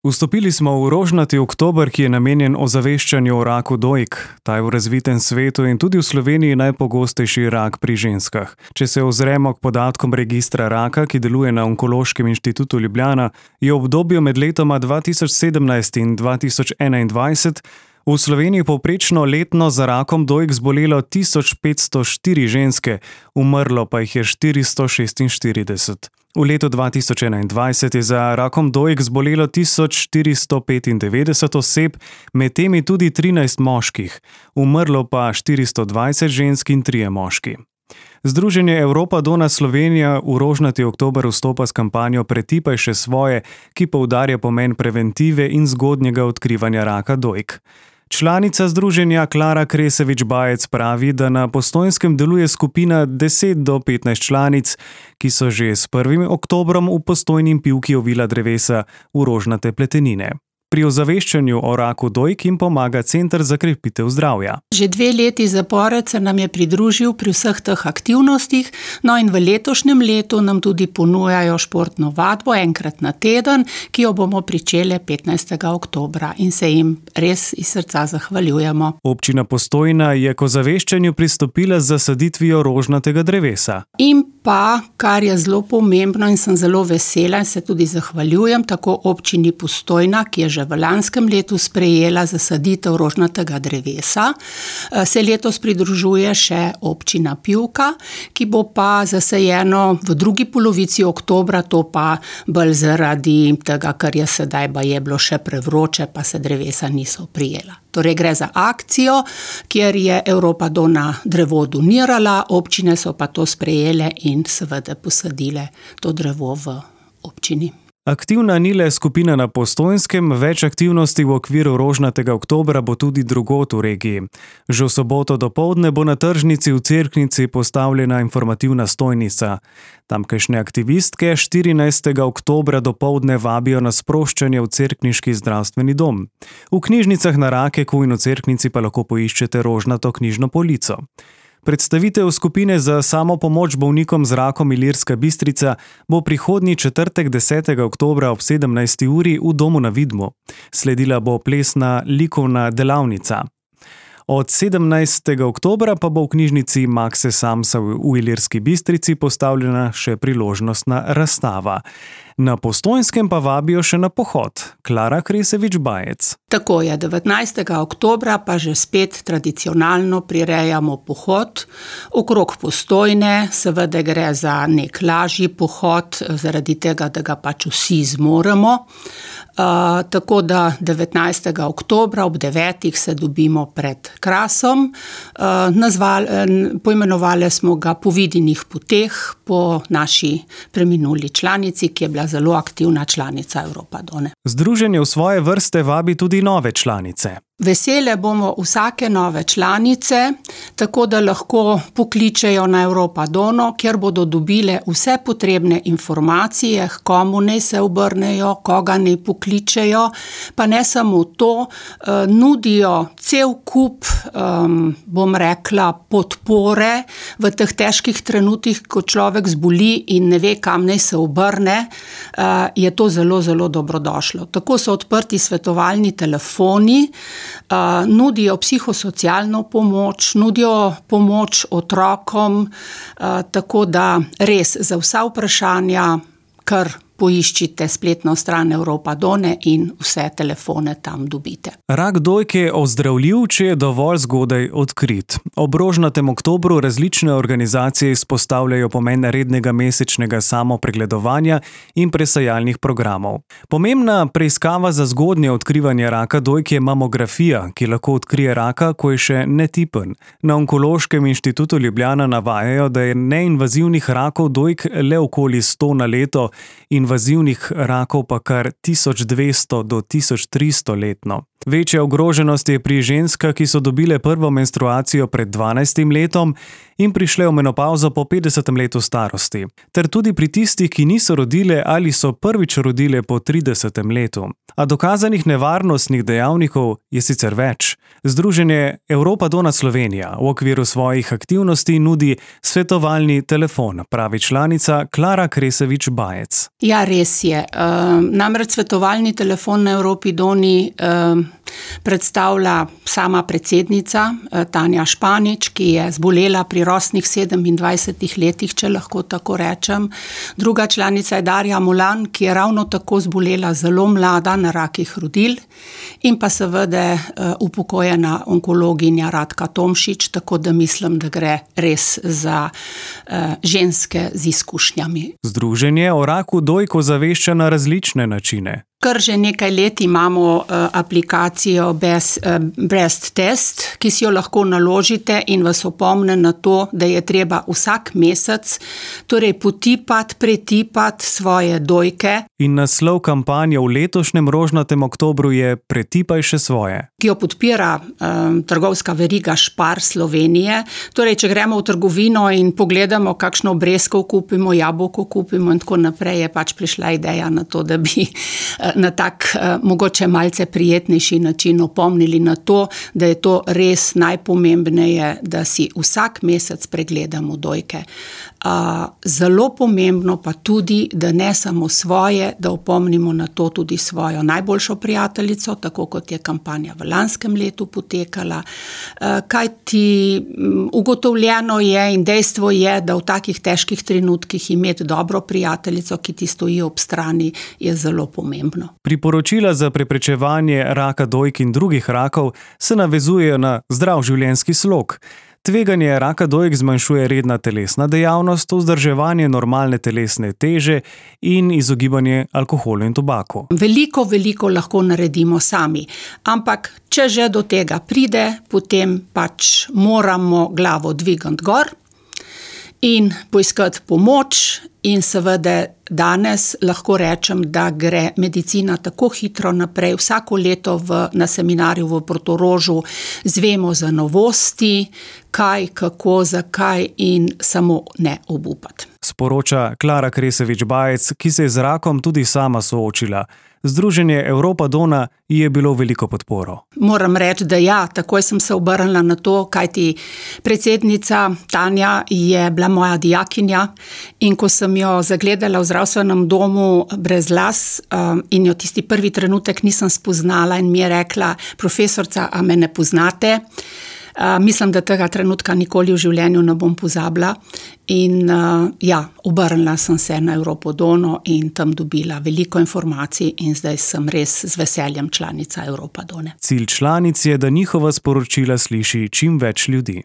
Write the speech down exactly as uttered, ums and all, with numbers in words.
Vstopili smo v rožnati oktober, ki je namenjen ozaveščanju o raku dojk. Ta je v razvitem svetu in tudi v Sloveniji najpogostejši rak pri ženskah. Če se ozremo k podatkom registra raka, ki deluje na Onkološkem inštitutu Ljubljana, je v obdobju med letoma dva tisoč sedemnajst in dva tisoč enaindvajset v Sloveniji povprečno letno za rakom dojk zbolelo tisoč petsto štiri ženske, umrlo pa jih je štiristo šestinštirideset. V letu dva tisoč enaindvajset je za rakom dojk zbolelo tisoč štiristo petindevetdeset oseb, med temi tudi trinajst moških, umrlo pa štiristo dvajset žensk in trije moški. Združenje Europa Donna Slovenija v rožnati oktober vstopa s kampanjo Pretipaj še svoje, ki poudarja pomen preventive in zgodnjega odkrivanja raka dojk. Članica združenja Klara Kresevič-Bajec pravi, da na Postojnskem deluje skupina deset do petnajst članic, ki so že s prvim oktobrom v Postojni in Pivki ovila drevesa v rožnate pletenine. Pri ozaveščanju o raku dojk jim pomaga Center za krepitev zdravja. Že dve leti zapored se nam je pridružil pri vseh teh aktivnostih, no in v letošnjem letu nam tudi ponujajo športno vadbo enkrat na teden, ki jo bomo pričeli petnajstega oktobra in se jim res iz srca zahvaljujemo. Občina Postojna je k ozaveščanju pristopila z zasaditvijo rožnatega drevesa. In pa, kar je zelo pomembno in sem zelo vesela in se tudi zahvaljujem, tako občini Postojna, ki je že v lanskem letu sprejela zasaditev rožnatega drevesa, se letos pridružuje še občina Pivka, ki bo pa zasajeno v drugi polovici oktobra, to pa bolj zaradi tega, ker je sedaj baje bilo še prevroče, pa se drevesa niso prijela. Torej gre za akcijo, kjer je Europa Donna drevo donirala, občine so pa to sprejele in seveda posadile to drevo v občini. Aktivna ni le skupina na Postojnskem, več aktivnosti v okviru rožnatega oktobra bo tudi drugod v regiji. Že v soboto dopoldne bo na tržnici v Cerknici postavljena informativna stojnica. Tamkajšnje aktivistke štirinajstega oktobra dopoldne vabijo na sproščanje v cerkniški zdravstveni dom. V knjižnicah na Rakeku in v Cerknici pa lahko poiščete rožnato knjižno polico. Predstavitev skupine za samopomoč bolnikom z rakom Ilirska Bistrica bo prihodnji četrtek desetega oktobra ob sedemnajsti uri v domu na Vidmu. Sledila bo plesna likovna delavnica. Od sedemnajstega oktobra pa bo v knjižnici Makse Samsa v Ilirski Bistrici postavljena še priložnostna razstava. Na Postojnskem pa vabijo še na pohod. Klara Kresevič-Bajec. Tako je, devetnajstega oktobra pa že spet tradicionalno prirejamo pohod okrog Postojne, seveda gre za nek lažji pohod, zaradi tega, da ga pač vsi zmoremo. Uh, tako da devetnajstega oktobra ob devetih se dobimo pred Krasom. Uh, nazval, poimenovali smo ga Po vidinih poteh po naši preminuli članici, ki je bila zelo aktivna članica Europa Donne. Združenje v svoje vrste vabi tudi nove članice. Vesele bomo vsake nove članice, tako da lahko pokličejo na Europa Donno, kjer bodo dobile vse potrebne informacije, k komu naj se obrnejo, koga naj pokličejo, pa ne samo to, nudijo cel kup, bom rekla, podpore v teh težkih trenutkih, ko človek zboli in ne ve, kam naj se obrne, je to zelo, zelo dobrodošlo. Tako so odprti svetovalni telefoni, Uh, nudijo psihosocialno pomoč, nudijo pomoč otrokom, uh, tako da res za vsa vprašanja, kar poiščite spletno stran Europa Donne in vse telefone tam dobite. Rak dojk je ozdravljiv, če je dovolj zgodaj odkrit. Ob rožnatem oktobru različne organizacije izpostavljajo pomen rednega mesečnega samopregledovanja in presajalnih programov. Pomembna preiskava za zgodnje odkrivanje raka dojk je mamografija, ki lahko odkrije raka, ko je še netipen. Na Onkološkem inštitutu Ljubljana navajajo, da je neinvazivnih rakov dojk le okoli sto na leto, invazivnih rakov pa kar tisoč dvesto do tisoč tristo letno. Večja ogroženost je pri ženskah, ki so dobile prvo menstruacijo pred dvanajstim letom in prišle v menopavzo po petdesetem letu starosti, ter tudi pri tistih, ki niso rodile ali so prvič rodile po tridesetem letu. A dokazanih nevarnostnih dejavnikov je sicer več. Združenje Europa Donna Slovenija v okviru svojih aktivnosti nudi svetovalni telefon, pravi članica Klara Kresevič-Bajec. Ja, Ja, res je. Namreč svetovalni telefon na Evropi Doni predstavlja sama predsednica Tanja Španič, ki je zbolela pri rosnih sedemindvajsetih letih, če lahko tako rečem. Druga članica je Darja Molan, ki je ravno tako zbolela zelo mlada na rakih rodil, in pa seveda upokojena onkologinja Radka Tomšič, tako da mislim, da gre res za ženske z izkušnjami. Združenje o raku dojk ozavešča na različne načine. Kar že nekaj let imamo uh, aplikacijo Best, uh, Breast Test, ki si jo lahko naložite in vas opomne na to, da je treba vsak mesec torej potipati, pretipati svoje dojke. In naslov kampanje v letošnjem rožnatem oktobru je Pretipaj še svoje, ki jo podpira um, trgovska veriga Spar Slovenije. Torej, če gremo v trgovino in pogledamo, kakšno breskov kupimo, jabolko kupimo in tako naprej, je pač prišla ideja na to, da bi na tak mogoče malce prijetnejši način opomnili na to, da je to res najpomembneje, da si vsak mesec pregledamo dojke. Zelo pomembno pa tudi, da ne samo svoje, da opomnimo na to tudi svojo najboljšo prijateljico, tako kot je kampanja v lanskem letu potekala. Kajti ugotovljeno je in dejstvo je, da v takih težkih trenutkih imeti dobro prijateljico, ki ti stoji ob strani, je zelo pomembno. Priporočila za preprečevanje raka dojk in drugih rakov se navezujejo na zdrav življenjski slog. Tveganje raka dojk zmanjšuje redna telesna dejavnost, vzdrževanje normalne telesne teže in izogibanje alkoholu in tobaku. Veliko, veliko lahko naredimo sami, ampak če že do tega pride, potem pač moramo glavo dvigati gor in poiskati pomoč. In seveda danes lahko rečem, da gre medicina tako hitro naprej. Vsako leto v, na seminarju v Portorožu zvemo za novosti, kaj, kako, zakaj in samo ne obupati. Sporoča Klara Kresevič-Bajec, ki se je z rakom tudi sama soočila. Združenje Evropa Dona ji je bilo veliko podporo. Moram reči, da ja, takoj sem se obrnila na to, kajti predsednica Tanja je bila moja dijakinja in ko sem jo zagledala v zdravstvenem domu brez las um, in jo tisti prvi trenutek nisem spoznala in mi je rekla: profesorca, a me ne poznate? Uh, mislim, da tega trenutka nikoli v življenju ne bom pozabila. In uh, ja, obrnila sem se na Evropo Dono in tam dobila veliko informacij in zdaj sem res z veseljem članica Evropa Done. Cilj članic je, da njihova sporočila sliši čim več ljudi.